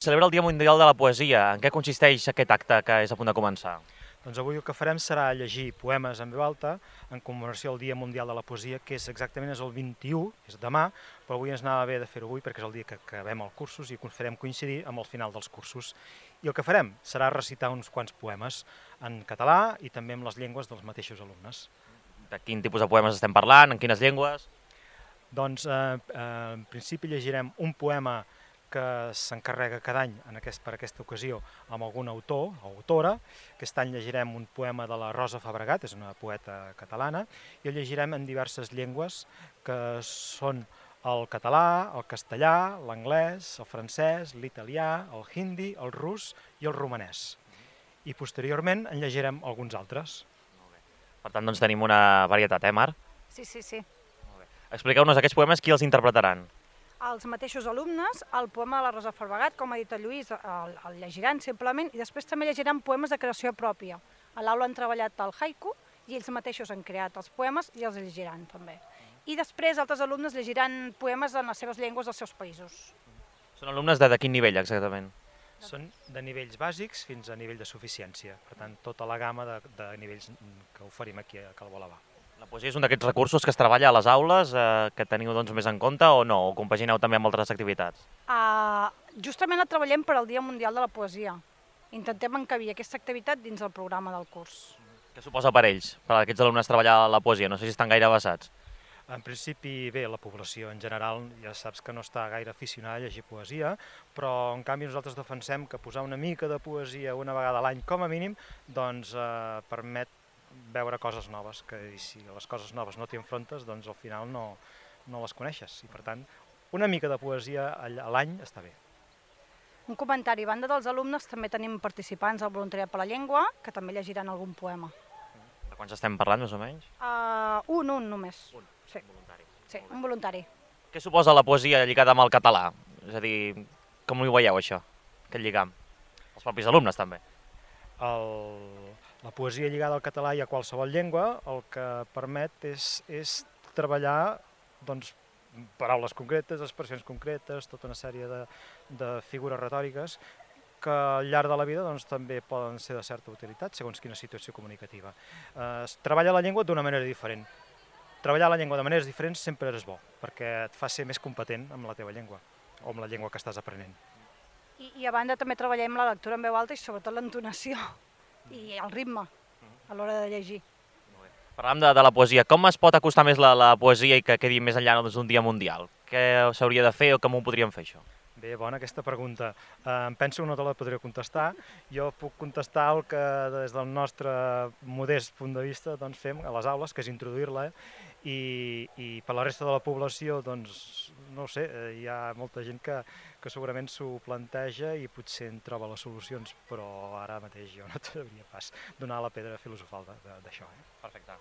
Celebra el Dia Mundial de la Poesia. En què consisteix aquest acte que és a punt de començar? Doncs avui el que farem serà llegir poemes en veu alta en commemoració al Dia Mundial de la Poesia, que és exactament el 21, és demà, però avui ens anava bé de fer-ho avui perquè és el dia que acabem els cursos i farem coincidir amb el final dels cursos. I el que farem serà recitar uns quants poemes en català i també amb les llengües dels mateixos alumnes. De quin tipus de poemes estem parlant? En quines llengües? Doncs en principi llegirem un poema que s'encarrega cada any per aquesta ocasió amb algun autor o autora. Aquest any llegirem un poema de la Rosa Fabregat, és una poeta catalana, i el llegirem en diverses llengües que són el català, el castellà, l'anglès, el francès, l'italià, el hindi, el rus i el romanès. I posteriorment en llegirem alguns altres. Per tant, doncs tenim una varietat, Mar? Sí. Expliqueu-nos aquests poemes, qui els interpretaran? Els mateixos alumnes, el poema de la Rosa Fabregat, com ha dit el Lluís, el llegiran simplement, i després també llegiran poemes de creació pròpia. A l'aula han treballat el haiku i ells mateixos han creat els poemes i els llegiran també. I després altres alumnes llegiran poemes en les seves llengües dels seus països. Són alumnes de quin nivell, exactament? Són de nivells bàsics fins a nivell de suficiència, per tant, tota la gamma de nivells que oferim aquí a Cal Bolavà. La poesia és un d'aquests recursos que es treballa a les aules, que teniu doncs, més en compte o no? O compagineu també amb altres activitats? Justament la treballem per al Dia Mundial de la Poesia. Intentem encabir aquesta activitat dins el programa del curs. Què suposa per ells, per aquests alumnes treballar la poesia? No sé si estan gaire avesats. En principi, bé, la població en general ja saps que no està gaire aficionada a llegir poesia, però en canvi nosaltres defensem que posar una mica de poesia una vegada a l'any com a mínim doncs permet veure coses noves, que si les coses noves no t'hi enfrontes, doncs al final no les coneixes. I per tant, una mica de poesia a l'any està bé. Un comentari, a banda dels alumnes també tenim participants al Voluntariat per la Llengua, que també llegiran algun poema. De quants estem parlant, més o menys? Un només. Un, sí. voluntari. Sí, un voluntari. Què suposa la poesia lligada amb el català? És a dir, com ho veieu això, aquest lligam? Els propis alumnes també. La poesia lligada al català i a qualsevol llengua el que permet és treballar doncs, paraules concretes, expressions concretes, tota una sèrie de figures retòriques que al llarg de la vida doncs, també poden ser de certa utilitat segons quina situació comunicativa. Es treballa la llengua d'una manera diferent. Treballar la llengua de maneres diferents sempre és bo, perquè et fa ser més competent amb la teva llengua o amb la llengua que estàs aprenent. I a banda també treballem la lectura en veu alta i sobretot l'entonació i el ritme a l'hora de llegir. Parlàvem de la poesia. Com es pot acostar més la poesia i que quedi més enllà d'un dia mundial? Què s'hauria de fer o com ho podríem fer, això? Bé, bona aquesta pregunta. Em penso que no te la podré contestar. Jo puc contestar el que des del nostre modest punt de vista doncs, fem a les aules, que és introduir-la, i per la resta de la població, doncs, no ho sé, hi ha molta gent que segurament s'ho planteja i potser en troba les solucions, però ara mateix jo no t'hauria pas donar la pedra filosofal d'això. Perfecte.